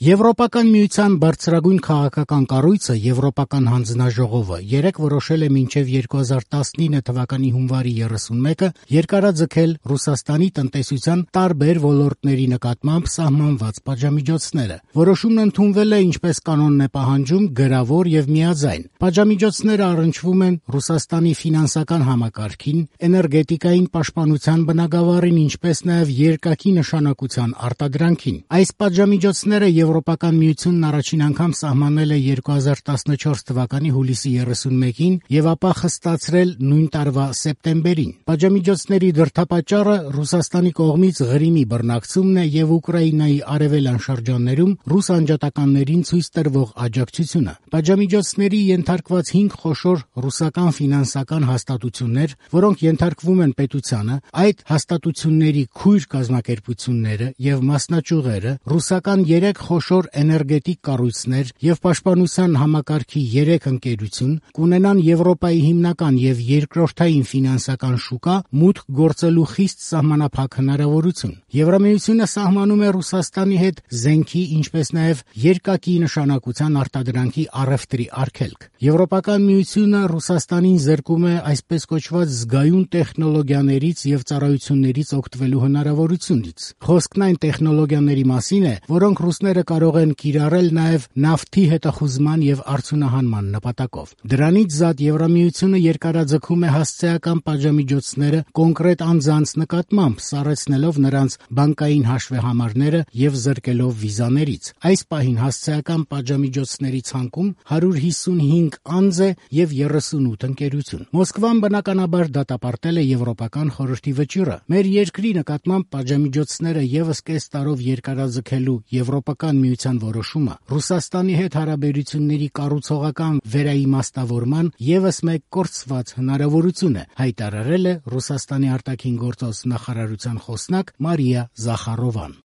Եվրոպական միության բարձրագույն քաղաքական կառույցը Եվրոպական հանձնաժողովը երեկ որոշել է մինչև 2019 թվականի հունվարի 31-ը երկարաձգել Ռուսաստանի տնտեսության տարբեր ոլորտների նկատմամբ սահմանված պատժամիջոցները։ Որոշումն ընդունվել է ինչպես կանոնն է պահանջում գրավոր եւ միաձայն։ Պատժամիջոցները առնչվում են Ռուսաստանի ֆինանսական համակարգին, էներգետիկային պաշտպանության բնագավառին, ինչպես նաեւ երկակի նշանակության արտադրանքին։ Այս պատժամիջոցները Եվրոպական միությունն առաջին անգամ սահմանել է 2014 թվականի հուլիսի 31-ին եւ ապա խստացրել նույն տարվա սեպտեմբերին։ Պատժամիջոցների դրդապատճառը Ռուսաստանի կողմից Ղրիմի բռնակցումն է եւ Ուկրաինայի արևելյան շրջաններում ռուս անջատականներին ցույց տրվող աջակցությունը։ Պատժամիջոցների ենթարկված 5 խոշոր ռուսական ֆինանսական հաստատություններ, որոնք ենթարկվում են պետությանը, այդ հաստատությունների քույր կազմակերպությունները եւ մասնաճյուղերը, ռուսական 3 խոշոր էներգետիկ կառույցներ եւ պաշտպանության համակարգի 3 ընկերություն կունենան Եվրոպայի հիմնական եւ երկրորդային ֆինանսական շուկա մուտք գործելու խիստ սահմանափակ հնարավորություն։ Եվրամիությունը սահմանում է Ռուսաստանի հետ զենքի, ինչպես նաեւ երկակի նշանակության արտադրանքի առևտրի արգելք։ Եվրոպական միությունը Ռուսաստանին զրկում է այսպես կոչված զգայուն տեխնոլոգիաներից եւ ծառայություններից օգտվելու հնարավորությունից։ Խոսքն այն տեխնոլոգիաների մասին է, որոնք ռուսները կարող են կիրառել նաև նավթի հետախուզման եւ արդյունահանման նպատակով։ Դրանից զատ Եվրամիությունը երկարաձգում է հասցեական պատժամիջոցները կոնկրետ անձանց նկատմամբ, սառեցնելով նրանց բանկային հաշվեհամարները եւ զրկելով վիզաներից։ Այս պահին հասցեական պատժամիջոցների ցանկում 155 անձ է եւ 38 ընկերություն։ Մոսկվան բնականաբար դատապարտել է Եվրոպական խորհրդի վճիռը։ Մեր երկրի նկատմամբ պատժամիջոցները եւս կես տարով երկարաձգելու Եվրոպական միության որոշումը Ռուսաստանի հետ հարաբերությունների կառուցողական վերաիմաստավորման եւս մեկ կորցված հնարավորություն է, հայտարարել է Ռուսաստանի արտաքին գործոստ նախարարության խոսնակ Մարիա Զախարովան։